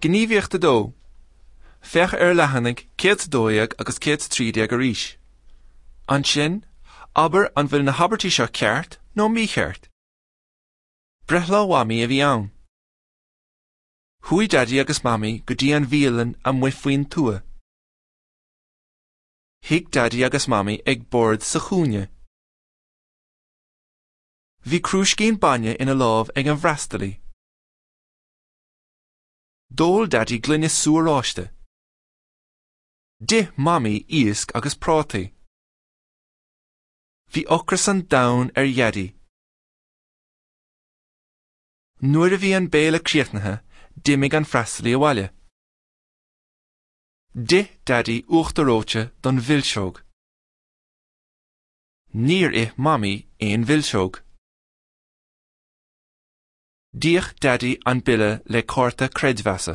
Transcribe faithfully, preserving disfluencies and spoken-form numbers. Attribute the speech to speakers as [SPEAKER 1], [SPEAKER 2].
[SPEAKER 1] Gníomhaíocht a dó. Féach ar leathanaigh céad a dó dhéag agus céad a trí déag arís. Ansin, abair an bhfuil na habairtí seo ceart nó mícheart. Breithlá Mhamaí a bhí ann. Chuaigh Daidí agus Mamaí go dtí an bhialann amuigh faoin tuath. Shuigh Daidí agus Mamaí ag bord sa chúinne. Bhí crúiscín bainne ina lámh ag an bhfreastalaí. D'ól Daidí gloine sú oráiste. D'ith Mamaí iasc agus prátaí. Bhí ocras an domhain ar Dhaidí. Nuair a bhí an béile críochnaithe, d'imigh an freastalaí abhaile. D'ith Daidí uachtar reoite don mhilseog. Níor ith Mamaí aon mhilseog. D'íoc Daidí an bille le cárta creidmheasa.